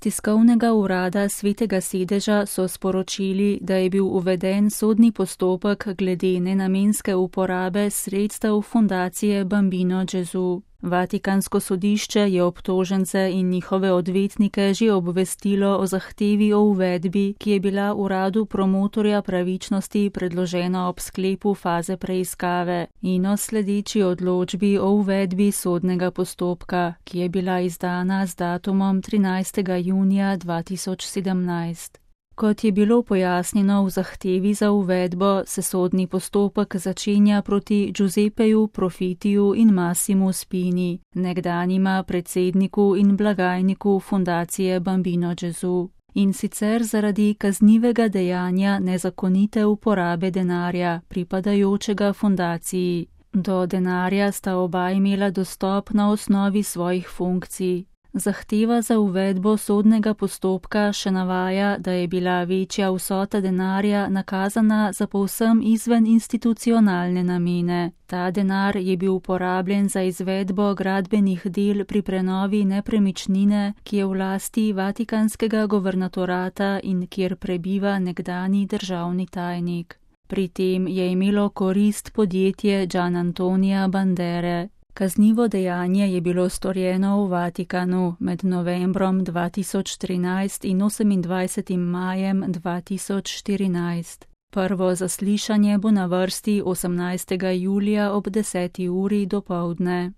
tiskovnega urada Svetega sedeža so sporočili, da je bil uveden sodni postopek glede nenamenske uporabe sredstev fundacije Bambino Gesù. Vatikansko sodišče je obtožence in njihove odvetnike že obvestilo o zahtevi o uvedbi, ki je bila uradu promotorja pravičnosti predložena ob sklepu faze preiskave in o sledeči odločbi o uvedbi sodnega postopka, ki je bila izdana z datumom 13. junija 2017. Kot je bilo pojasnjeno v zahtevi za uvedbo, se sodni postopek začenja proti Giuseppeju Profitiju in Massimu Spini, nekdanjima predsedniku in blagajniku fundacije Bambino Gesù. In sicer zaradi kaznivega dejanja nezakonite uporabe denarja, pripadajočega fundaciji. Do denarja sta oba imela dostop na osnovi svojih funkcij. Zahteva za uvedbo sodnega postopka še navaja, da je bila večja vsota denarja nakazana za povsem izven institucionalne namene. Ta denar je bil uporabljen za izvedbo gradbenih del pri prenovi nepremičnine, ki je v lasti Vatikanskega guvernatorata in kjer prebiva nekdanji državni tajnik. Pri tem je imelo korist podjetje Gianantonija Bandere. Kaznivo dejanje je bilo storjeno v Vatikanu med novembrom 2013 in 28. majem 2014. Prvo zaslišanje bo na vrsti 18. julija ob 10. uri dopoldne.